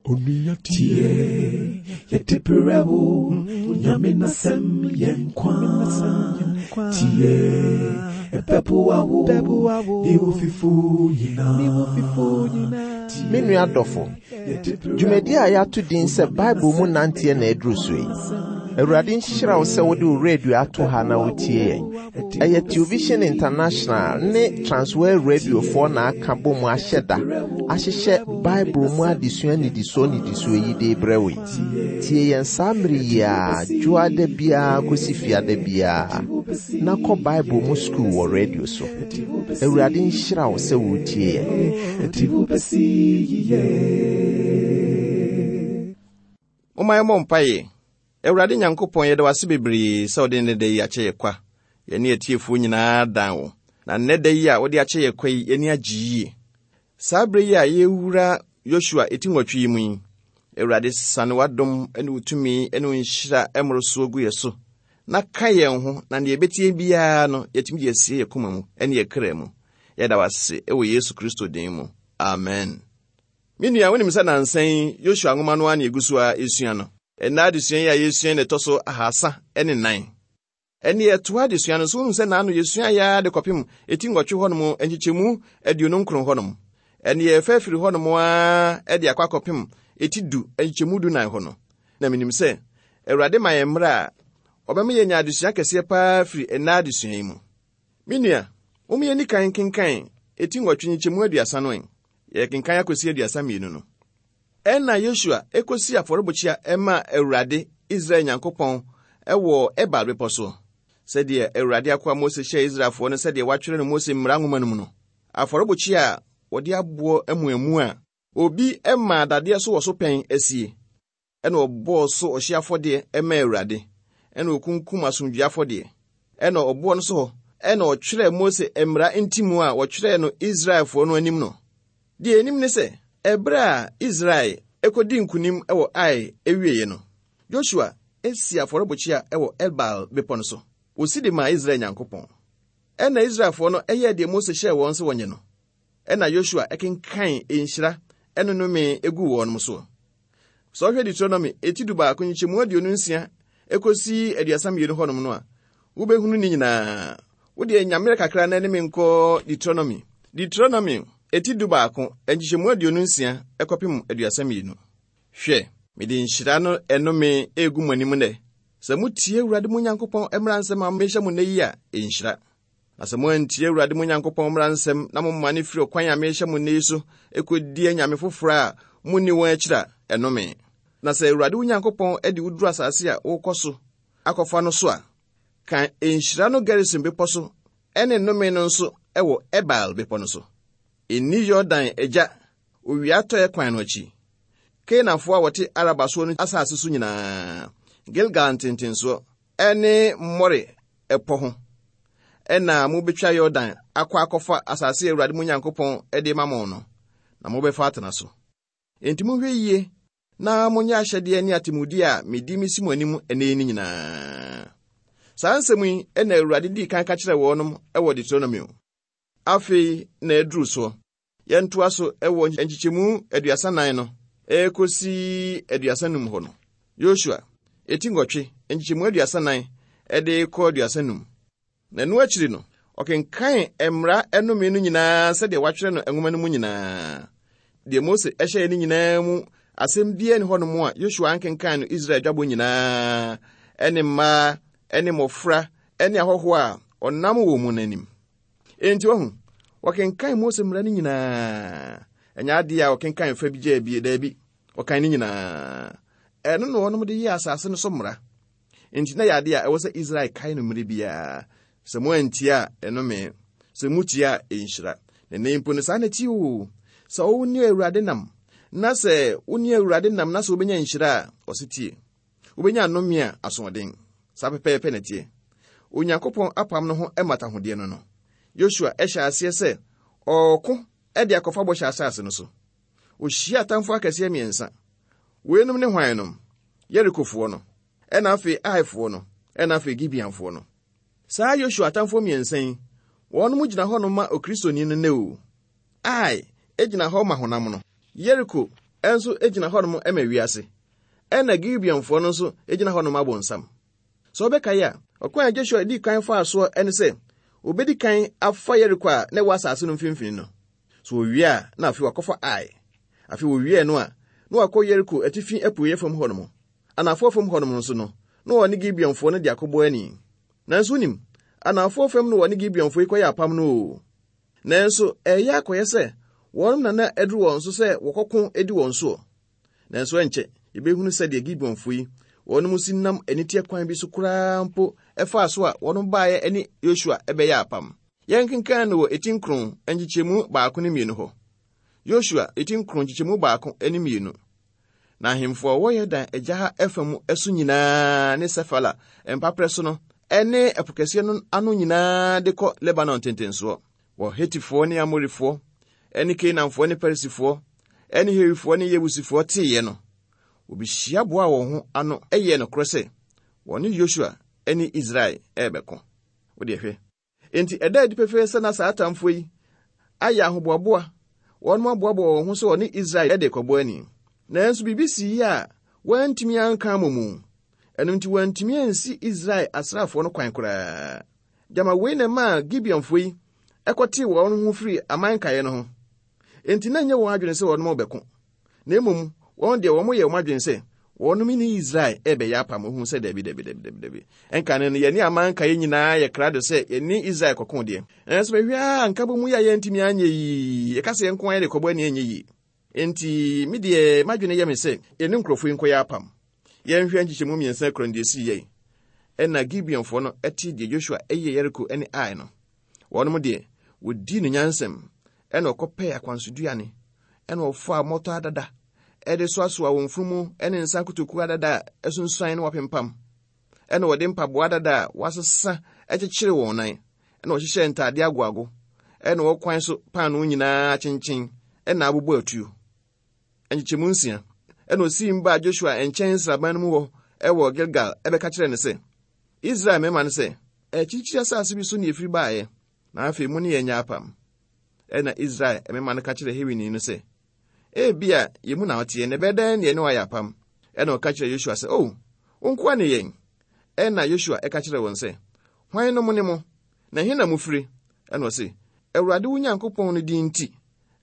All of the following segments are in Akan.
Tie, yɛde brɛ wo, Nyame n'asɛm yɛ nkwa. Tie, ɛbɛboa wo, ne wo fifo nyinaa. Me nua dɔfo, dwumadi a yɛato din sɛ Bible mu nanteɛ na aduru so yi. Awurade nhyira wo sɛ wode wo radio ato ha na wotie yɛn. Ɛyɛ Television International ne Transworld Radiofoɔ na aka bɔ mu ahyɛ da ahyehyɛ Bible mu adesua nnidisoɔ nnidisoɔ yi de rebrɛ wo yi. Tie yɛn saa mmere yi ara, dwoada biara kɔsi fiada biara, na kɔ Bible mu sukuu wɔ radio so. Awurade nhyira wo sɛ woretie yɛn. Momma yɛmmɔ mpaeɛ. Awurade Nyankopɔn, yɛda wo ase bebree sɛ wode nnɛ da yi akyɛ yɛ kwa. Yɛne atiefoɔ nyinaa dan wo. Na nnɛ da yi a wode akyɛ yɛ kwa yi, yɛn ani agye yie. Saa berɛ yi a yɛrewura Yosua eti nwɔtwe yi mu yi, Awurade, sane w'adom ne wo tumi ne wo nhyira mmorosoɔ gu yɛ so, na ka yɛn ho, na deɛ yɛbɛtie biara no, yɛatumi de asie yɛ koma mu ne yɛ kra mu. Yɛda wo ase wɔ Yesu Kristo din mu. Amen. Me nua, wonim sɛ nnansa yi Yosua nwoma no ara na yɛgu so ara resua no. Ɛnnɛ adesua yi a yɛresua yi na ɛtɔ so ahasa ne nnan. Ɛnne yɛtoa adesua no so, wonim sɛ naano yɛsua yɛ ara de kɔpem eti nwɔtwe hɔnom nkyekyɛmu aduonu nkron hɔnom. Ɛnne yɛrefa afiri hɔnom ara de akɔ akɔpem eti du nkyekyɛmu du nan hɔ no. Na menim sɛ Awurade ma yɛn mmerɛ a, ɔbɛma yɛanya adesua kɛseɛ paa firi ɛnnɛ adesua yi mu. Me nua, mom yɛnni kan nkenkan eti nwɔtwe nkyekyɛmu aduasa no ɛ. Yɛrekenkan akosi aduasa mmienu no. Ɛnna Yosua kosii afɔrebukyia maa Awurade, Israel Nyankopɔn, wɔ Ebal Bepɔ so, sɛdeɛ Awurade akoa Mose hyɛɛ Israelfoɔ no sɛdeɛ wɔatwerɛ no Mose mmara nwoma no mu no. Afɔrebukyia a wɔde aboɔ amuamu a obi maa dadeɛ so wɔ so pɛn asie. Ɛnna ɔbɔɔ so ɔhyeɛ afɔdeɛ maa Awurade, ɛnna ɔkunkum asomdwoeɛ afɔdeɛ. Ɛnna ɔboɔ no so hɔ na ɔtwerɛɛ Mose mmara ntimu a wɔtwerɛɛ no Israelfoɔ no anim no. Deɛ yɛnim ne sɛ, ɛberɛ a Israel kɔdii nkonim wɔ Ai wieeɛ no, Yosua sii afɔrebukyia wɔ Ebal bepɔ no so. Ɔsi de maa Israel Nyankopɔn. Ɛnna Israelfoɔ no yɛɛ deɛ Mose hyɛɛ wɔn sɛ wɔnyɛ no. Ɛnna Yosua kenkan nhyira ne nnome guu wɔn soɔ. Sɛ wohwɛ Deuteronomy eti dubaako nkyekyɛmu 26 ekosi 32 hɔnom no a, wobɛhunu ne nyinaa. Wo deɛ nya mmerɛ kakra na ne me nkɔ Deuteronomy. Deuteronomy eti dubaako nkyekyɛmu 26 kɔpem 32. Hwɛ, mede nhyira no ɛnome egu mo anim nnɛ. Sɛ motie Awurade mo Nyankopɔn mmara nsɛm a mehyɛ mo nnɛ yi a, nhyira. Na sɛ moantie Awurade mo Nyankopɔn mmara nsɛm na momane firi ɔkwan a merehyɛ mo nnɛ yi so kɔdi anyame foforɔ a monni wɔn akyiri a, ɛnome. Na sɛ Awurade wo Nyankopɔn de wo duru asase a worekɔ so akɔfa no so a, ka nhyira no Gerisim bepɔ so ne nnome no nso wɔ Ebal bepɔ no so. Nni Yordan agya owia atɔeɛ kwan no akyi, Kanaanfoɔ a wɔte Araba soɔ no asase so nyinaa, Gilgal ntentensoɔ ne More ɛpɔ ho na mobɛtwa Yordan akɔ akɔfa asase a Awurade mo Nyankopɔn de ma mo no, na mobɛfa atena so. Enti monhwɛ yie na monyɛ ahyɛdeɛ ne atemmudeɛ a medi mesi mo anim ɛnnɛ yi no nyinaa. Saa nsɛm yi na Awurade dii kan ka kyerɛɛ wɔnom wɔ Deuteronomio. Afei na aduru soɔ. Yɛntoa so wɔ nkyekyɛmu aduasa nan no ɛrekɔsi aduasa num hɔ no. Yosua, eti nwɔtwe, nkyekyɛmu aduasa nan de kɔ 35. Na ɛno akyiri no, ɔkenkan mmara nnome no nyinaa sɛdeɛ wɔatwerɛ no nwoma no mu nyinaa. Deɛ Mose hyɛeɛ no nyinaa mu asɛm biara nni hɔnom a Yosua ankenkan no Israel dwabɔ nyinaa ne mmaa ne mmɔfra ne ahɔhoɔ a ɔnam wɔn mu no anim. Enti wahu, wɔkenkan Mose mmara no nyinaa. Ɛnyɛ adeɛ a wɔkenkan fa bi gyaa bi, daabi, wɔkan ne nyinaa. Ɛno na wɔnom de yɛɛ asase no so mmara. Enti na yɛ adeɛ a ɛwɔ sɛ Israel kae no mmere biara. Sɛ moantie a, ɛnome. Sɛ motie a, ɛnhyira. Na nnɛ mpo no, saa na ɛte o. Sɛ wo ne Awurade nam, na sɛ wo ne Awurade nam na sɛ wobɛnya nhyira a, ɔse tie. Wobɛnya nnome a asoɔden. Saa pɛpɛɛpɛ na ɛteɛ. Onyankopɔn apam no ho mmatahodeɛ no no, Yosua hyɛɛ aseɛ sɛ ɔreko de akɔfa bɔhyɛ asase no so. Ɔhyiaa atamfoɔ akɛseɛ mmiɛnsa. Weinom ne hwan nom? Yerikofoɔ no, ɛna afei Aifoɔ no, ɛna afei Gibeonfoɔ no. Saa Yosua atamfoɔ mmiɛnsa yi, wɔnom gyina hɔnom ma Okristoni no nnɛ o. Ai gyina hɔ ma honam no. Yeriko nso gyina hɔnom ma wiase, ɛnna Gibeonfoɔ no nso gyina hɔnom ma abonsam. Sɛ wobɛkae a, ɔkwan a Joshua dii kan faa soɔ ne sɛ obedi kan afa Yeriko a na ɛwɔ asase no mfimfini no. So owie a, na afei wakɔfa Ai. Afei owiee no a, na wakɔ Yeriko atifi apueeɛ fam hɔnom. Anafoɔ fam hɔnom nso no, na ɔne Gibeonfoɔ no de akɔbɔ ani. Nanso wonim, anafoɔ fam na wɔne Gibeonfoɔ yi kɔyɛ apam no oo. Nanso ɛreyɛ akɔyɛ sɛ wɔnom na na aduru wɔn so sɛ wɔkɔko di wɔn soɔ. Nanso ɛnkyɛ, yɛbɛhunu sɛdeɛ Gibeonfoɔ yi, wɔnom si nam aniteɛ kwan bi so koraa mpo faa so a wɔnom baeɛ ne Yosua bɛyɛɛ apam. Yɛnkenkan no wɔ eti nkron nkyekyɛmu baako ne mmienu hɔ. Yosua eti nkron nkyekyɛmu baako ne mmienu. Na ahemfo a wɔwɔ Yordan agya ha fa mu so nyinaa ne Sefela mpaperɛ so no ne ɛpo kɛseɛ no ano nyinaa de kɔ Lebanon ntentensoɔ, wɔ Hetifoɔ ne Amorifoɔ ne Kanaanfoɔ ne Perisifoɔ ne Hewifoɔ ne Yebusifoɔ teeɛ no, wɔbɛhyia boaa wɔn ho ano yɛɛ nokorɛ sɛ wɔne Yosua ne Israel rebɛko. Wo deɛ hwɛ. Enti ɛda adi pefee sɛ na saa atamfoɔ yi ayɛ ahoboaboa, wɔn aboaboa wɔn ho sɛ wɔne Israel de rekɔbɔ ani. Nanso biribi sii a wɔantumi anka ammɔ mu. Ɛno nti wɔantumi ansi Israel asraafoɔ no kwan koraa. Gyama wei na ɛmaa Gibeonfoɔ yi kɔtee wɔn ho firii aman nkaeɛ no ho. Enti na ɛnyɛ wɔn adwene sɛ wɔnom rebɛko, na mmom wɔn deɛ wɔyɛ wɔn adwene sɛ wɔnom ne Israel rebɛyɛ apam. Ohun sɛ dabi, dabi, dabi, dabi, dabi. Ɛnka no yɛne aman nkaeɛ nyinaa yɛ krado sɛ yɛne Israel kɔko deɛ. Nanso mehwɛ a nkabom yi a yɛntumi anyɛ yi, yɛka sɛ yɛn nko ara yɛde kɔbɔ ani ɛnyɛ yie. Enti me deɛ m'adwene yɛ me sɛ yɛne nkurɔfoɔ yi nkɔyɛ apam. Yɛnhwɛ nkyekyɛmu mmiɛnsa kura no deɛ ɛsii yɛn. Ɛna Gibeonfoɔ no te deɛ Joshua yɛ Yeriko ne Ai no. Wɔnom deɛ, wɔdii no nyansam, ɛna ɔkɔpɛɛ akwansoduane, ɛna ɔfaa mmɔtɔ adada, ɛde soasoa wɔn mfunumu ne nsa nkotokuo adada a asunsuan na wɔapempam, ɛna wɔde mpaboa adada a wɔasesa kyekyere wɔn nan, ɛna wɔhyehyɛɛ ntaadeɛ agoago, ɛna wɔkwan so paanoo nyinaa akyenkyen, ɛna abobɔ atuo. Nkyekyɛmu nsia. Ɛna osiim baa Joshua nkyɛn nsraban no mu hɔ wɔ Gilgal bɛka kyerɛɛ no sɛ, Israel mmarima no sɛ, Akyirikyiri asase bi so na yɛfiri baeɛ, na afei mo ne yɛn nyɛ apam. Ɛnna Israel mmarima no ka kyerɛɛ Hewini no sɛ, Ebia yɛn mu na woteɛ, na ɛbɛyɛ dɛn na yɛne wo ayɛ apam? Ɛnna ɔka kyerɛɛ Yosua sɛ, O, wo nkoa ne yɛn. Ɛnna Yosua ka kyerɛɛ wɔn sɛ, Hwan nom ne mo, na ɛhe na mofiri? Ɛnna ɔse, Awurade wo Nyankopɔn no din nti,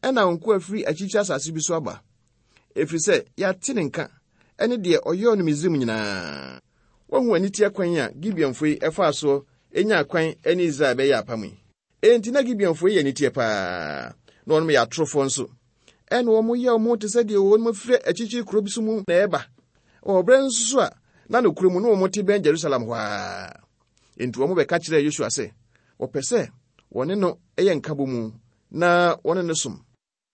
ɛna wo nkoa firi akyirikyiri asase bi so aba, ɛfiri sɛ yɛate ne nka ne deɛ ɔyɔɔ no Misraim nyinaa. Woahu aniteɛ kwan a Gibeonfoɔ yi faa soɔ nyaa kwan ne Israel bɛyɛɛ apam yi? Enti na Gibeonfoɔ yi yɛ aniteɛ paa, na wɔnom yɛ atorofoɔ nso. Ɛna wɔn yɛ wɔn ho te sɛ deɛ wɔnom firi akyirikyiri kuro bi so mu na ɛreba, wɔ berɛ nso so a na nokorɛ mu na wɔn te bɛn Jerusalem hɔ ara. Enti wɔn bɛka kyerɛɛ Yosua sɛ wɔpɛ sɛ wɔne no yɛ nkabɔmu na wɔne no som.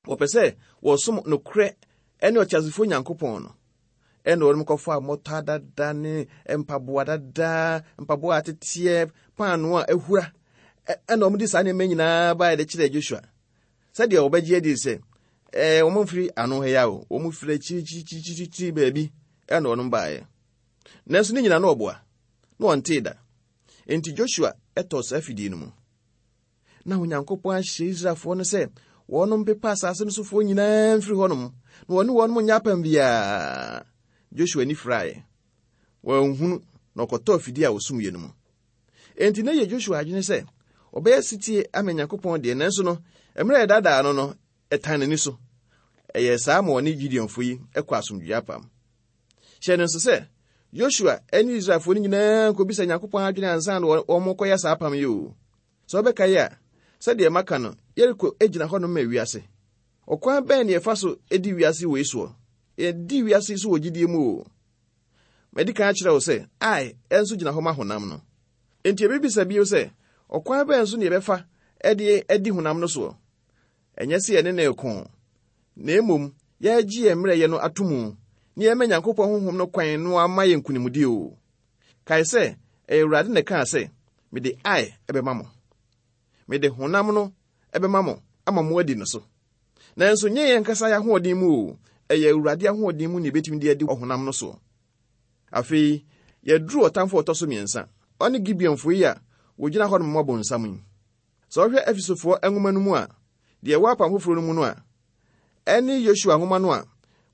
Wɔpɛ sɛ wɔsom nokorɛ ne ɔteasefoɔ Nyankopɔn no. Ɛna wɔnom kɔfaa mmɔtɔ adada ne mpaboa dada, mpaboa a ateteɛ, paanoo a ahura. Ɛna wɔn de saa nneɛma nyinaa baeɛ de kyerɛɛ Joshua. Sɛdeɛ wɔbɛgye adi sɛ ɛɛ wɔn mfiri ano ha yi a o, wɔn firi akyirikyirikyirikyiri baabi ɛna wɔnom baeɛ. Nanso ne nyinaa na ɔboa, na wɔntee da. Enti Joshua tɔɔ saa fidie no mu. Na Onyankopɔn ahyɛ Israelfoɔ no sɛ wɔnom mpepa asase no sofoɔ nyinaa mfiri hɔnom, na wɔne wɔnom nyɛ apam biara. Joshua ani firaeɛ. Wanhunu, na ɔkɔtɔɔ fidie a wɔsumyɛ no mu. Enti na ɛyɛ Joshua adwene sɛ ɔbɛyɛ setie ama Nyankopɔn deɛ, nanso no, mmerɛ a ɛdaadaa no no, ɛtan n'ani so. Ɛyɛɛ saa ma ɔne Gideonfoɔ yi kɔ asomdwoeɛ apam. Hyɛ no nso sɛ, Yosua ne Israelfoɔ no nyinaa nkɔbisa Nyankopɔn adwene ansa na wɔkɔyɛ saa apam yi o. Sɛ wobɛkae a, sɛdeɛ maka no, Yeriko gyina hɔnom ma wiase. Ɔkwan bɛn na yɛfa so di wiase wei soɔ? Yɛdi wiase so wɔ gyidie mu o. Madi kan akyerɛ wo sɛ, Ai nso gyina hɔ ma honam no. Enti yɛbɛbisa bio sɛ, ɔkwan bɛn so na yɛbɛfa de adi honam no soɔ? Ɛnyɛ sɛ yɛne no reko, na mmom yɛregye yɛn mmerɛyɛ no ato mu na yɛma Nyankopɔn honhom no kwan no ama yɛn nkonimdi o. Kae sɛ, ɛyɛ Awurade na ɛkaa sɛ, Mede Ai bɛma mo. Mede honam no bɛma mo ama moadi no so. Nanso nyɛ yɛn ankasa yɛn ahoɔden mu o, ɛyɛ Awurade ahoɔden mu na yɛbɛtumi de adi ɔhonam no soɔ. Afei, yɛaduru ɔtamfo a ɔtɔ so mmiɛnsa, ɔne Gibeonfoɔ yi a wɔgyina hɔnom ma bonsam yi. Sɛ wohwɛ Efesofoɔ nwoma no mu a, deɛ ɛwɔ Apam Foforɔ no mu no a, ɛne Yosua nwoma no a,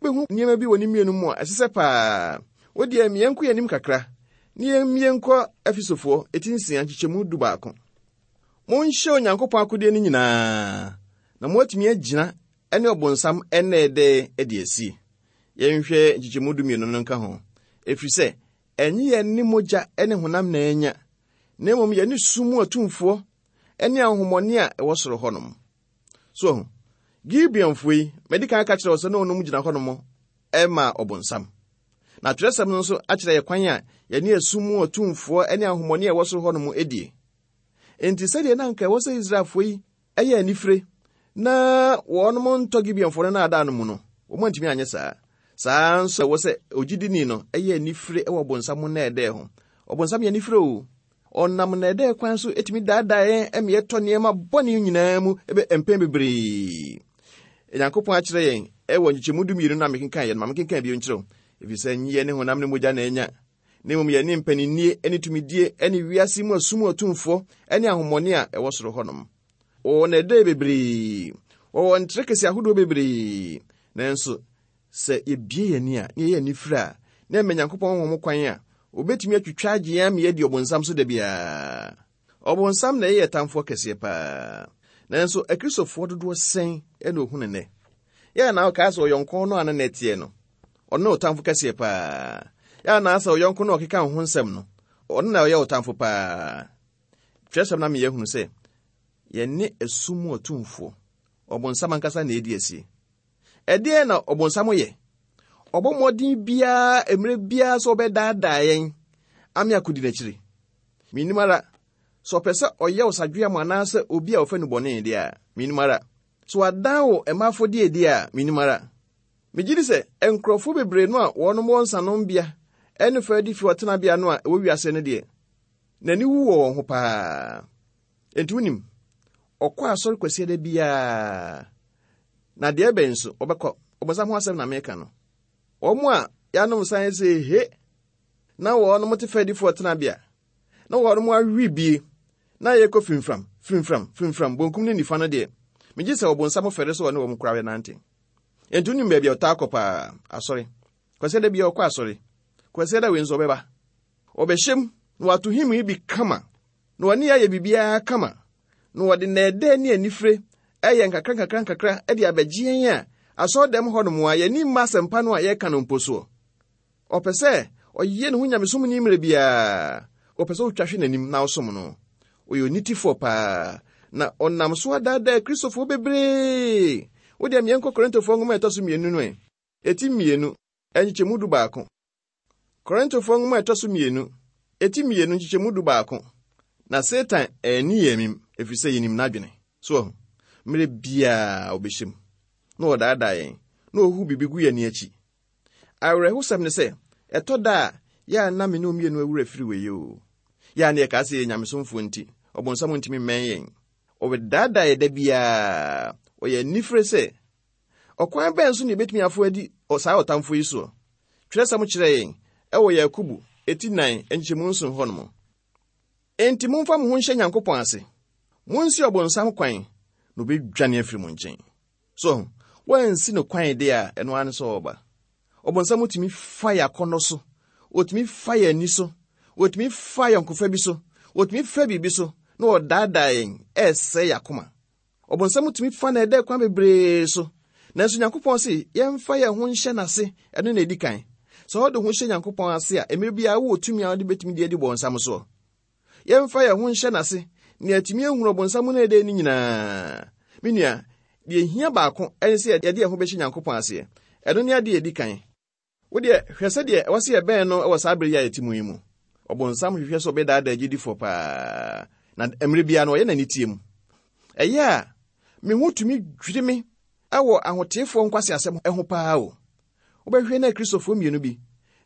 Wobɛhu nneɛma bi wɔ ne mmienu mu a ɛsɛ sɛ paa. Wo deɛ ma yɛnkɔ yɛn anim kakra na yɛmmie nkɔ Efesofoɔ eti nsia nkyekyɛmu dubaako. Monhyɛ Onyankopɔn akodeɛ no nyinaa na moatumi agyina ne ɔbonsam nnɛɛdɛɛ adi asie. Yɛnhwɛ nkyekyɛmu dumienu no nka ho. Ɛfiri sɛ ɛnye yɛn ne mogya ne honam na anya, na mmom yɛne sum mu atumfoɔ ne ahonhommɔne a ɛwɔ soro hɔnom. So ahu? Gibeonfoɔ yi, madi kan aka kyerɛ wo sɛ na wɔnom gyina hɔnom ma ɔbonsam. Na twerɛsɛm no nso akyerɛ yɛ kwan a yɛne esum mu atumfoɔ ne ahonhommɔne a ɛwɔ soro hɔnom die. Enti sɛdeɛ na anka ɛwɔ sɛ Israelfoɔ yi yɛ anifire na wɔnom ntɔ Gibeonfoɔ no naadaa no mu no, wɔn antumi anyɛ saa. Saa ara nso ɛwɔ sɛ ogyidini no yɛ anifire wɔ ɔbonsam nnɛɛdɛɛ ho. Ɔbonsam yɛ anifire o. Ɔnam nnɛɛdɛɛ kwan so tumi daadaa yɛn ma yɛtɔ nneɛma bɔne nyinaa mu mpɛn bebree. Nyankopɔn akyerɛ yɛn wɔ nkyekyɛmu dumienu no a mekenkan yɛ no, ma mekenkan bio nkyerɛ wo. Efisɛ nyɛ ne honam ne mogya na anya, na mmom yɛne mpaninnie ne tumidie ne wiase mu asum atumfoɔ ne ahommɔne a ɛwɔ soro hɔnom. Wɔwɔ nnɛɛdɛe bebree, wɔwɔ nterekese ahodoɔ bebree, nanso Sɛ yebue yɛn ani a, na yɛyɛ anifere a, na ɛma Nyankopɔn honhom kwan a, obetumi atwitwa agye yɛn ama yɛadi Ɔbonsam so da biara. Ɔbonsam na ɛyɛ yɛn tamfoɔ kɛseɛ paa. Nanso Akristofoɔ dodoɔ sɛn na ohu no nnɛ? Yɛ a na ɔkaa sɛ ɔyɔnko no a ne nna teɛ no, ɔno ne ɔtamfo kɛseɛ paa. Yɛ a na sɛ ɔyɔnko no a ɔkeka wo ho nsɛm no, ɔno na ɔyɛ ɔtamfo paa. Twerɛsɛm no ama yɛahunu sɛ yɛne esum mu atumfoɔ, ɔbonsam ankasa na ɛredi asie. Ɛdeɛn na ɔbonsam yɛ? Ɔbɔ mmɔden biara mmerɛ biara sɛ ɔbɛdaadaa yɛn ame akɔdi n'akyiri. Mennim ara, sɛ ɔpɛ sɛ ɔyɛ wo sadweam anaasɛ obi a ɔfɛ no bɔne deɛ a, mennim ara. Sɛ wadan wo mma afɔdie deɛ a, mennim ara. Megye di sɛ nkurɔfoɔ bebree no a wɔnom wɔ nsanombea ne fɛdi fi ɔtenabea no a ɛwɔ wiase no deɛ, n'ani wu wɔ wɔn ho paa. Enti wonim, ɔkɔ asɔre Kwasiada biara, na deɛ ɛbɛn nso, ɔbɛkɔ. Ɔbonsam ho asɛm na meka no. Wɔn a yɛanom nsa yɛ sɛ he, na wɔnom te fɛdifoɔ tenabea, na wɔnom awe bie, na yɛkɔ fimfram, fimfram, fimfram, bonkum ne nifa no deɛ, megye sɛ ɔbonsam fɛre sɛ ɔne wɔn koraa bɛnante. Enti wonim baabi a ɔtaa kɔ paa? Asɔre. Kwasiada biara ɔkɔ asɔre. Kwasiada wei nso ɔbɛba. Ɔbɛhyɛ mu, na wato hymn yi bi kama. Na wɔne yɛn ayɛ biribiara kama, na wɔde nnɛɛdɛɛ ne anifere ɛyɛ nkakra nkakra nkakra de abɛgye yɛn a asɔredɛm hɔnom a yɛn ani mma asɛmpa no a yɛreka no mpo soɔ. Ɔpɛ sɛ ɔyɛ ne ho nyamesomni mmerɛ biara. Ɔpɛ sɛ wotwa hwe n'anim na wosom no. Ɔyɛ onitefoɔ paa, na ɔnam so adaadaa Kristofoɔ bebree. Wo deɛ meɛnkɔ Korintofoɔ nwoma a ɛtɔ so mmienu no ɛ, ɛti mmienu, nkyekyɛmu dubaako. Korintofoɔ nwoma a ɛtɔ so mmienu, eti mmienu nkyekyɛmu dubaako. Na Satan anni yɛn amim, ɛfiri sɛ yɛnim n'adwene. So wahu? Mmerɛ biara ɔbɛhyɛ mu, na ɔdaadaa yɛn, na ɔhu biribi gu yɛn ani akyi. Awerɛhosɛm ne sɛ, ɛtɔ da a, yɛ a na me ne wo mmienu awura firi wei o. Yɛ a na yɛkaa sɛ yɛyɛ nyamesomfoɔ nti, ɔbonsam ntumi mmɛn yɛn. Ɔbɛdaadaa yɛn da biara. Ɔyɛ anifere sɛ Ɔkwan bɛn so na yebetumi afow adi saa ɔtamfo yi so? Kyerɛwsɛm kyerɛ yɛn wɔ Yakobo ti nnan nkyekyɛmu nson hɔnom. Enti momfa mo ho nhyɛ Nyankopɔn ase. Munsi ɔbonsam kwan, na obedwane afiri mo nkyɛn. So ahu? Woansi no kwan de a, ɛno ara ne sɛ ɔreba. Ɔbonsam tumi fa yɛn akɔnnɔ so, otumi fa yɛn ani so, otumi fa ayɔnkofa bi so, otumi fa biribi so, na ɔdaadaa yɛn, ɛresɛe yɛn akoma. Ɔbonsam tumi fa na ɛdɛ kwan bebree so. Nanso Nyankopɔn se yɛmfa yɛn ho nhyɛ n'ase, ɛno na edi kan. Sɛ wode ho hyɛ Nyankopɔn ase a, mmere biara wowɔ tumi a wode betumi de adi bɔnsam soɔ. Yɛmfa yɛn ho nhyɛ n'ase na yɛatumi ahunu ɔbonsam no ɛdɛ no nyinaa. Me nua, deɛ ehia baako ne sɛ yɛde yɛn ho bɛhyɛ Nyankopɔn aseɛ. Ɛno ne adeɛ a edi kan. Wo deɛ, hwɛ sɛdeɛ ɛwɔ sɛ yɛbɛn no wɔ saa bere yi a yɛte mu yi mu. Ɔbonsam hwehwɛ sɛ ɔbɛdaadaa agyidifoɔ paa, na mmerɛ biara no ɔyɛ n'aniteɛ mu. Ɛyɛ a, me ho tumi dwiri me wɔ ahoteefoɔ nkwaseasɛm ho paa o. Wobɛhwɛ na Akristofoɔ mmienu bi,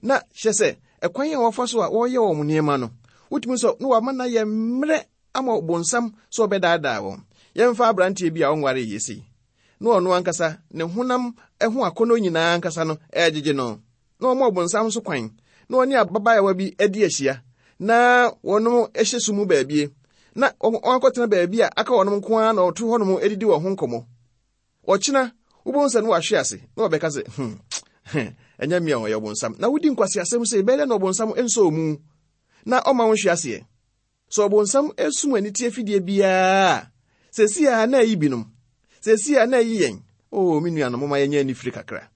na kyerɛ sɛ ɛkwan a wɔfa so a wɔyɛ wɔn nneɛma no, wotumi sɛ na wɔama no ayɛ mmerɛ ama ɔbonsam sɛ ɔbɛdaadaa wɔn. Yɛmfa aberanteɛ bi a ɔnwaree yɛ sei. na ɔno ankasa ne honam ho akɔnnɔ nyinaa ankasa no regyegye no, na ɔma ɔbonsam so kwan na ɔne ababaawa bi adi ahyia, na wɔnom hyɛ sum mu baabie, na wɔakɔtena baabi a aka wɔnom nko ara na wɔto hɔnom didi wɔn ho nkɔmmɔ. Ɔkyena, Wobɛhu sɛ na wahwe ase na wɔbɛka sɛ, hmm, ɛnyɛ me a ɔyɛ ɔbonsam. Na wodi nkwaseasɛm sɛ ɛbɛyɛ dɛ na ɔbonsam nsɔ mu na ɔma wo nhwe aseɛ. Sɛ ɔbonsam sum aniteɛ fidie biara a, seesei a na ayi binom, seesei a na ayi yɛn. Oo, me nuanom, momma yɛnyɛ anifire kakra.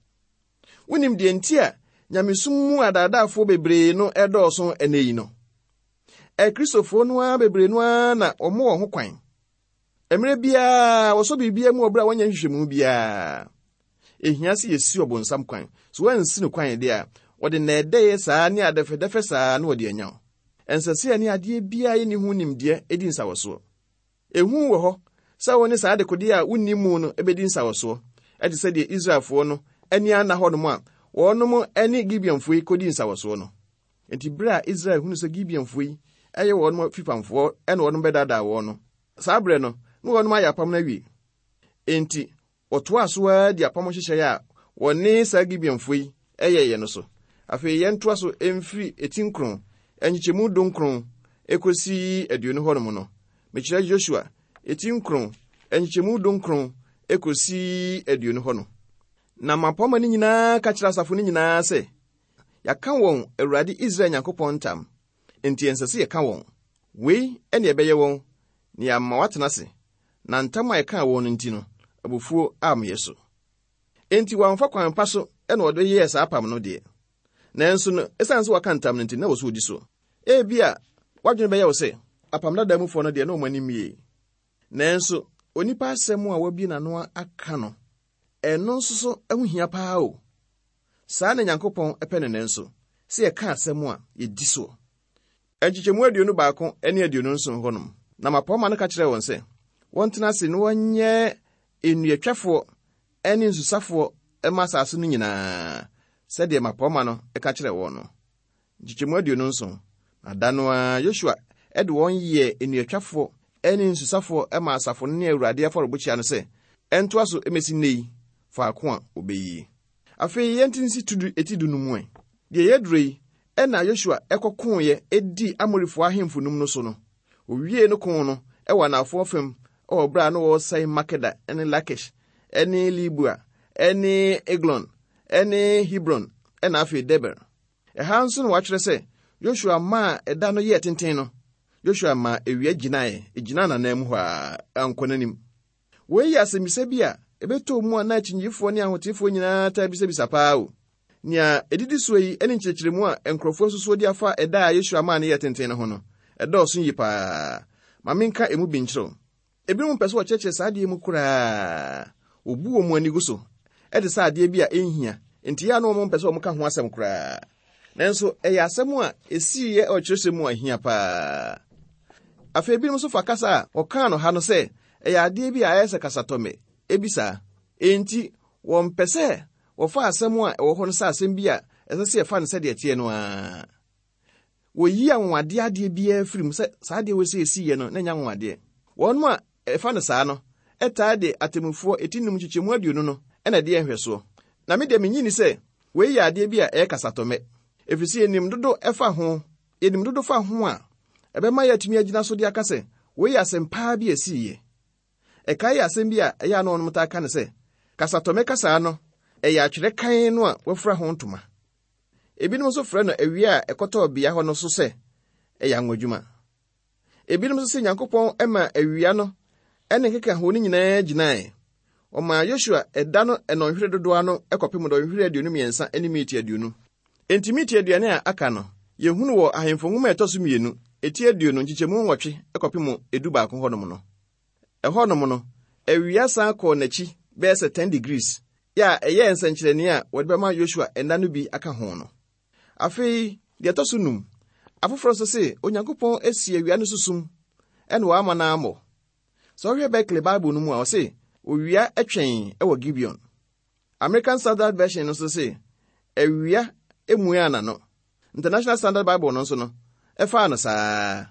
Wonim deɛ nti a nyamesom mu adaadaafoɔ bebree no ɛdɔɔso ɛnɛ yi no? Akristofoɔ no ara bebree no ara na wɔn wɔ ho kwan. Mmerɛ biara wɔsɔ biribiara mu wɔ berɛ a wɔnyɛ nhwehwɛmu biara. Ehia sɛ yɛsi ɔbonsam kwan. So wɔansi no kwan deɛ a, wɔde nnɛɛdɛeɛ saa ne adɛfɛdɛfɛ saa na wɔde anya wo. Ɛnsɛ sɛ yɛne adeɛ biara yɛnni ho nimdeɛ di nsawɔsoɔ. Ehu wɔ hɔ sɛ wo ne saa adekodeɛ a wonni mu no bɛdi nsawɔsoɔ, ɛte sɛ deɛ Israelfoɔ no ani anna hɔnom a wɔnom ne Gibeonfoɔ yi kɔdii nsawɔsoɔ no. Enti berɛ a Israel hunu sɛ Gibeonfoɔ yi yɛ wɔnom afipamfoɔ na wɔnom bɛdaadaa wɔn no, saa berɛ no, na wɔnom ayɛ apam no awie. Enti Wɔtoaa so ara dii apam nhyehyɛe a wɔne saa Gibeonfo yi yɛeɛ no so. Afei yɛntoa so mfiri eti nkron, nkyekyɛmu dunkron kɔsi aduonu hɔnom no. Mekyerɛ Yosua eti nkron, nkyekyɛmu dunkron kɔsi aduonu hɔ no. Na mmapɔmma no nyinaa ka kyerɛɛ asafo no nyinaa sɛ, Yɛaka wɔn Awurade Israel Nyankopɔn ntam, enti ɛnsɛ sɛ yɛka wɔn. Wei ne ɛbɛyɛ wɔn, na yɛama wɔatena ase, na ntam a ɛkaa wɔn no nti no, abufuo ammyɛ so. Enti wɔamfa kwan pa so na wɔde yɛɛ saa apam no deɛ, nanso no, ɛsiane sɛ wɔaka ntam no nti, na ɛwɔ sɛ wɔdi so. Ebia w'adwene bɛyɛ wo sɛ, apam dada mufoɔ no deɛ, na wɔn ani mmiei. Nanso, onipa asɛm a wabue n'ano aka no, ɛno nso so ho hia paa o. Saa na Nyankopɔn pɛ no nanso, sɛ yɛka asɛm a, yɛdi soɔ. Nkyekyɛmu 21 ne 27 hɔnom. Na mmapɔmma no ka kyerɛɛ wɔn sɛ, wɔntena ase na wɔnyɛ nnuatwafoɔ ne nsusafoɔ mma asase no nyinaa, sɛdeɛ mmapɔmma no ka kyerɛɛ wɔn no. Nkyekyɛmu 27. Na da no ara Yosua de wɔn yɛɛ nnuatwafoɔ ne nsusafoɔ maa asafo no ne Awurade afɔrebukyia no sɛ ɛntoa so mmɛsi nnɛ yi, faako a wɔbɛyie. Afei yɛnte nsi ti du no mu ɛ. Deɛ yɛaduro yi, Ɛnna Yosua kɔkoeɛ dii Amorifoɔ ahemfo num no so no, ɔwiee no ko no wɔ anafoɔ fam wɔ berɛ a na wɔresɛe Makeda ne Lakish ne Libua ne Eglon ne Hebron na afei Debir. Ɛha nso na wɔatwerɛ sɛ Yosua maa ɛda no yɛɛ tenten no, Yosua maa awia gyinaeɛ, ɛgyinaa n'ananmu hɔ ara, ankɔ n'anim. Wei yɛ asɛmmisa bi a ɛbɛtɔɔ mu a na akyinnyegyefoɔ ne ahoteefoɔ nyinaa taa bisabisa paa o. Nea ɛdidi soɔ yi ne nkyerɛkyerɛmu a nkurɔfoɔ asusuo de afa ɛda a Yosua maa no yɛɛ tenten no ho no, ɛdɔɔso yie paa. Ma menka emu bi nkyerɛ wo. Ebinom mpɛ sɛ wɔkyerɛkyerɛ saa adeɛ mu koraa. Wɔbu wɔn ani gu so te sɛ adeɛ bi a ɛnhia, enti ɛyɛ a na wɔmpɛ sɛ wɔka ho asɛm koraa. Nanso ɛyɛ asɛm a esiiɛ wɔ kyerɛwsɛm mu a ehia paa. Afei ebinom nso fa kasa a wɔkaa no ha no sɛ ɛyɛ adeɛ bi a ayɛ sɛ kasatɔmmɛ bi saa. Enti wɔmpɛ sɛ wɔfa asɛm a ɛwɔ hɔ no sɛ asɛm bi a ɛsɛ sɛ yɛfa no sɛdeɛ ɛteɛ no ara. Wɔyi anwanwadeɛ adeɛ biara firi mu sɛ saa adeɛ wei sɛ esiiɛ no na ɛnyɛ anwanwadeɛ. Wɔn a ɛfa no saa no taa de Atemmufoɔ eti num nkyekyɛmu 20 no na ɛde yɛ nhwɛsoɔ. Na me deɛ mennye nni sɛ Wei yɛ adeɛ bi a ɛyɛ kasatɔmmɛ, ɛfiri sɛ yɛnim dodo fa ho. Yɛnim dodo fa ho a, ɛbɛma yɛatumi agyina so de aka sɛ wei yɛ asɛm paa bi a ɛsiiɛ. Ɛkae yɛ asɛm bi a ɛyɛ a na wɔnom taa ka no sɛ, kasatɔmmɛ kasaa no, ɛyɛ atwerɛ kann no a wɔafura ho ntoma. Ebinom nso frɛ no awia a ɛkɔtɔɔ bea hɔ no so sɛ ɛyɛ anwadwuma. Ebinom nso sɛ Nyankopɔn maa awia no ne nkekaho no nyinaa gyinae. Ɔmaa Yosua ɛda no nnɔnhwere dodoɔ ano kɔpem nnɔnhwere 23 ne miniti 20. Enti miniti aduane a aka no, yɛhunu wɔ Ahemfo Nwoma a ɛtɔ so mmienu, eti 20 nkyekyɛmu 8 kɔpem 11 hɔnom no. Ɛhɔnom no, awia san kɔɔ n'akyi bɛyɛ sɛ 10 degrees, yɛ a ɛyɛɛ nsɛnkyerɛnne a wɔde bɛma Yosua nna no bi aka ho no. Afei, deɛ ɛtɔ so num, afoforɔ nso se Onyankopɔn asi awia no so sum ɛna wama no ammɔ. Sɛ wohwɛ Berkeley Bible no mu a, ɔse owia twɛn wɔ Gibeon. American Standard Version no nso se awia mmuaa n'ano. International Standard Bible no nso no, ɛfaa no saa.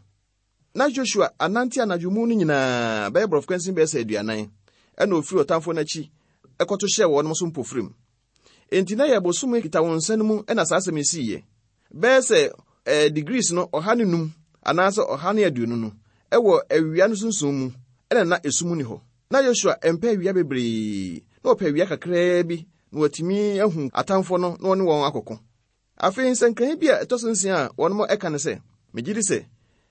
Na Joshua anante anadwo mu no nyinaa bɛyɛ borɔfo kwansin bɛyɛ sɛ 40, ɛna ofiri ɔtamfo no akyi kɔto hyɛɛ wɔn so mpofirim. Enti na yɛ bosome Kitawonsa no mu na saa asɛm yi siiɛ. Bɛyɛ sɛ eh, degrees no 105 anaasɛ 120 no, ɛwɔ awia no sunsum mu, ɛna na esum nni hɔ. Na Yosua mpɛ awia bebree. Na wɔpɛ awia kakraa bi na wɔatumi ahu atamfoɔ no na wɔne wɔn akɔko. Afei nsɛnkae bi a ɛtɔ so nsia a wɔnom ɛka ne sɛ, megye di sɛ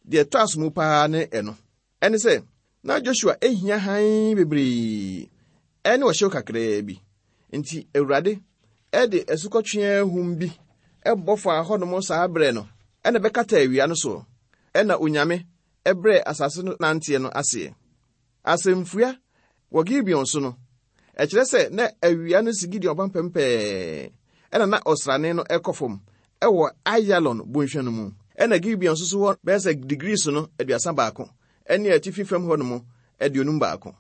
deɛ ɛtɔ aso mu paa ne ɛno. Ɛne sɛ, na Joshua ehia hann bebree ɛne ɔhyew kakraa bi. Nti Awurade ɛde asukɔtweaa ahum bi ɛbɔ faa hɔnom saa berɛ no, ɛna bɛkata awia no soɔ, ɛna Onyame ɛbrɛɛ asase no nanteɛ no aseɛ. Asɛmfua wɔ Gibeon so no, ɛkyerɛ sɛ na awia no si Gideon apampam pɛɛ, ɛna na ɔsrane no ɛkɔ fam ɛwɔ Ayalon bonhwa no mu. Ɛna Gibeon nso so hɔ bɛyɛ sɛ degrees no 31 ɛne atifi fam hɔ nom 51.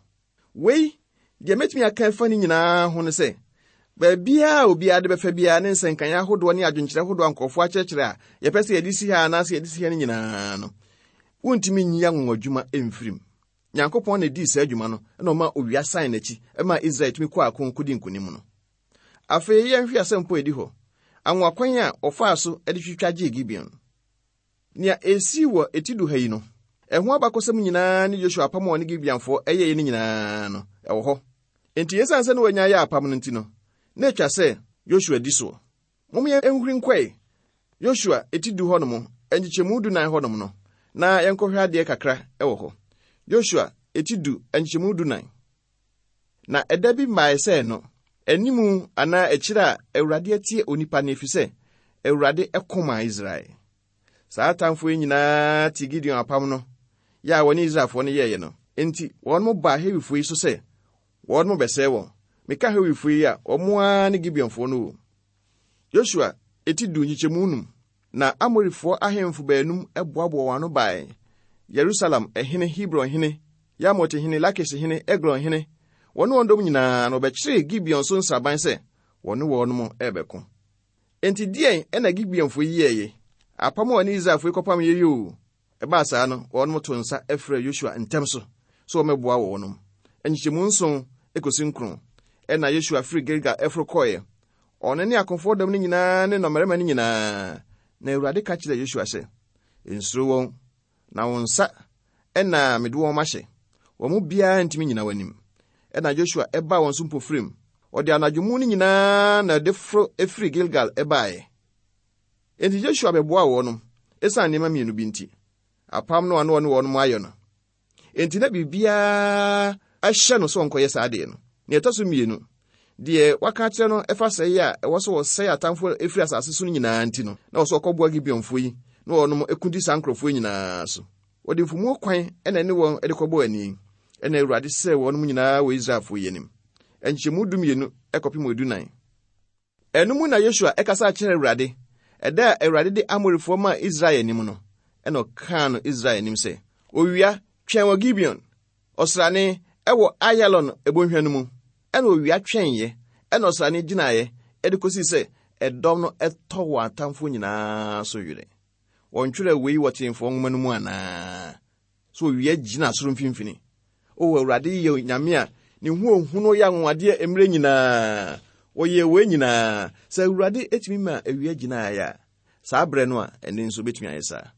Wei, deɛ mɛtumi aka afa ne nyinaa ho ne sɛ, baabiara a obiara de bɛfa biara ne nsɛnkan ahodoɔ ne adwenkyerɛ ahodoɔ a nkurɔfoɔ akyerɛkyerɛ a yɛpɛ sɛ yɛde si ha anaasɛ yɛde si ha no nyinaa no, wontumi nyi anwanwadwuma mfirim. Nyankopɔn na edii saa adwuma no na ɔma owia san n'akyi ma Israel tumi kɔɔ ako kɔdi nkonim no. Afei yɛnhwɛ asɛmpo a edi hɔ, anwonwakwan a wɔfaa so de twitwa gyee Gibeon. Nea esii wɔ eti du ha yi no, ɛho abakɔsɛm nyinaa ne Yosua apam a ɔne Gibeonfoɔ yɛeɛ no nyinaa no, ɛwɔ hɔ. Enti esiane sɛ na wɔanya ayɛ apam no nti no, na etwa sɛ Yosua di soɔ. Mom yɛnhuri nkɔe Yosua eti du hɔnom, nkyekyɛmu dunan hɔnom no, na yɛnkɔhwɛ adeɛ kakra wɔ hɔ. Yosua eti du, nkyekyɛmu dunan. Na ɛda bi mmae sɛ ɛno, animu anaa akyiri a Awurade atie onipa nne, efisɛ Awurade ko maa Israel. Saa atamfo yi nyinaa te Gideon apam no yɛ a wɔne Israelfoɔ no yɛeɛ no. Enti wɔn baa Hewifoɔ yi so sɛ wɔn bɛsɛe wɔn. Meka Hewifoɔ yi a, wɔn ara ne Gibeonfoɔ no o. Yosua eti du nkyekyɛmu num. Na Amorifoɔ ahemfo baanum boaboa wɔn ano bae, Yerusalem hene, Hebron hene, Yarmut hene, Lakis hene, Eglon hene, wɔne wɔn dɔm nyinaa, na wɔbɛkyeree Gibeon so nsraban sɛ wɔne wɔn rebɛko. Enti deɛn na Gibeonfoɔ yi yɛeɛ? Apam a wɔne Israelfoɔ yi kɔpameeɛ yi oo, ɛbaa saa no, wɔn too nsa frɛɛ Yosua ntɛm so sɛ wɔmmɛboa wɔn. Nkyekyɛmu nson kɔsi nkron, ɛnna Yosua firi Gilgal foro kɔeɛ, ɔno ne akofoɔ dɔm no nyinaa ne nnɔmmarima no nyinaa. Na Awurade ka kyerɛɛ Yosua sɛ, Nsuro wɔn, na wo nsa na mede wɔn mahyɛ. Wɔn mu biara ntumi nnyina w'anim. Ɛnna Yosua baa wɔn so mpofirim. Ɔde anadwo mu no nyinaa na ɛde foro firi Gilgal baeɛ. Enti Yosua bɛboaa wɔn esiane nneɛma mmienu bi nti, apam no a na ɔne wɔn ayɛ no. Enti na biribiara hyɛ no sɛ ɔnkɔyɛ saa adeɛ no. Nea ɛtɔ so mmienu, deɛ waka akyerɛ no ɛfa sɛe a ɛwɔ sɛ wɔsɛe atamfoɔ ɛfiri asase so no nyinaa nti no, na ɛwɔ sɛ ɔkɔboa Gibeonfoɔ yi na wɔnom ɛko di saa nkurɔfoɔ yi nyinaa so. Wɔde mfumuo kwan na ɛne wɔn de kɔbɔɔ ani, ɛna Awurade sɛe wɔnom nyinaa wɔ Israelfoɔ yi anim. Nkyɛmu dumienu kɔpem edunan. Ɛno mu na Yosua kasa kyerɛɛ Awurade, ɛda a Awurade de Amorifoɔ maa Israel anim no, ɛna ɔkaa no Israel anim sɛ, Owia, twɛn wɔ Gibeon, ɔsrane, ɛwɔ Ayalon ebonhwa no mu. Ɛna owia twɛneeɛ, ɛna ɔsrane gyinaeɛ, de kɔsii sɛ ɛdɔm no tɔ wɔn atamfoɔ nyinaa so werɛ. Wɔntwerɛɛ wei wɔ Tenefoɔ nwoma no mu anaa? So owia gyina soro mfimfini. O Awurade yɛ Onyame a ne ho ohunu yɛ anwanwadeɛ mmerɛ nyinaa. Wɔyɛɛ wei nyinaa. Sɛ Awurade tumi ma awia gyinaeɛ a, saa berɛ no a, ɛnne nso bɛtumi ayɛ saa.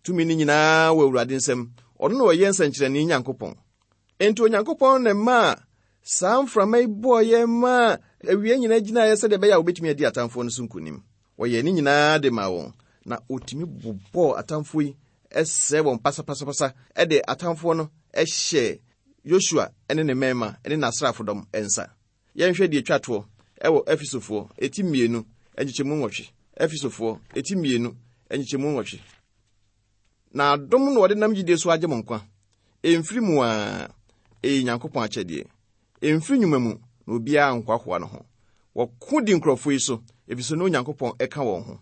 Tumi no nyinaa wɔ Awurade nsam. Ɔno na ɔyɛ nsɛnkyerɛnne Nyankopɔn. Enti Onyankopɔn na ɛmaa saa mframa yi bɔeɛ maa awia nyinaa gyinaeɛ sɛdeɛ ɛbɛyɛ a wɔbɛtumi adi atamfoɔ no so nkonim. Wɔyɛɛ ne nyinaa de maa wɔn, na wɔtumi bobɔɔ atamfoɔ yi sɛe wɔn pasapasapasa de atamfoɔ no hyɛɛ Yosua ne ne mmarima ne n'asraafodɔm nsa. Yɛnhwɛ deɛ ɛtwa toɔ wɔ Efesofoɔ eti mmienu nkyekyɛmu nwɔtwe. Efesofoɔ eti mmienu nkyekyɛmu nwɔtwe. Na adom na wɔde nam gyidie so agye mo nkwa. Ɛmfiri mu ara, ɛyɛ Nyankopɔn akyɛdeɛ. Ɛmfiri nnwuma mu, na obiara nhoahoa ne ho. Wɔko di nkurɔfoɔ yi so, ɛfiri sɛ na Onyankopɔn ka wɔn ho.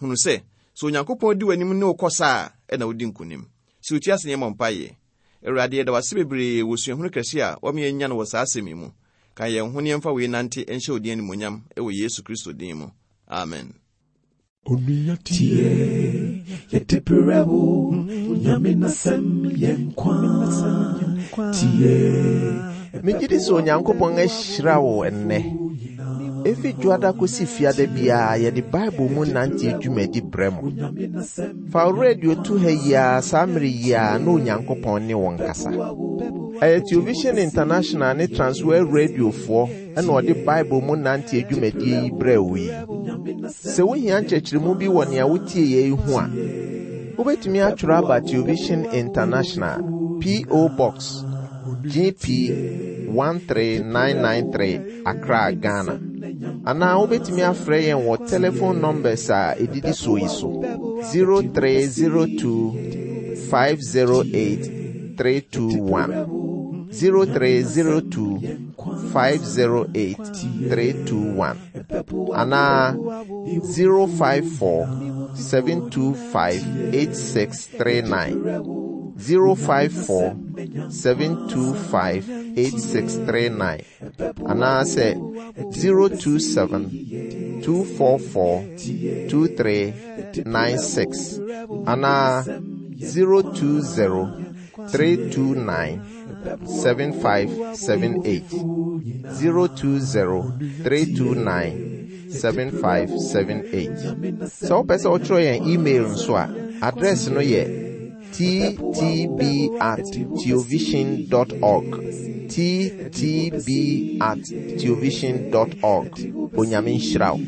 Hunu sɛ, sɛ Onyankopɔn di w'anim ne wo kɔ sa a, ɛna wodi nkonim. Si wo ti ase na yɛmmɔ mpaeɛ. Awurade, yɛda wo ase bebree wɔ suahunu kɛse a woama yɛanya no wɔ saa asɛm yi mu. Ka yɛn ho na yɛmfa wei nnante nhyɛ wo din animuonyam wɔ Yesu Kristo din mu. Amen. Onua tie, yɛde brɛ wo, Onyame n'asɛm yɛ nkwa. Tie. Megye di sɛ Onyankopɔn ahyira wo ɛnnɛ. Efi Dwoada kosi Fiada biara yɛde Bible mu nante dwumadi brɛ mo. Fa wo radio to ha yi ara saa mmere yi ara na Onyankopɔn ne wo nkasa. Ɛyɛ Television International ne Transworld Radiofoɔ na ɔde Bible mu nante adwumadie yi brɛɛ wo yi. Sɛ wohia nkyerɛkyerɛmu bi wɔ nea wotie yɛ yi ho a, wobɛtumi atwerɛ aba Television International, P.O. Box, GP 13993, Accra, Ghana. Anaa wobɛtumi afrɛ yɛn wɔ telephone numbers a ɛdidi soɔ yi so 0302 508 321 0302 508 321 anaa 054 725 8639 054 725 8639 anaasɛ 027 244 2396 anaa 020 329 7578 020 329 7578. Sɛ wopɛ sɛ wotwerɛ yɛn email nso a, address no yɛ ttb at theovision dot org ttb at theovision dot org. Onyame nhyira wo.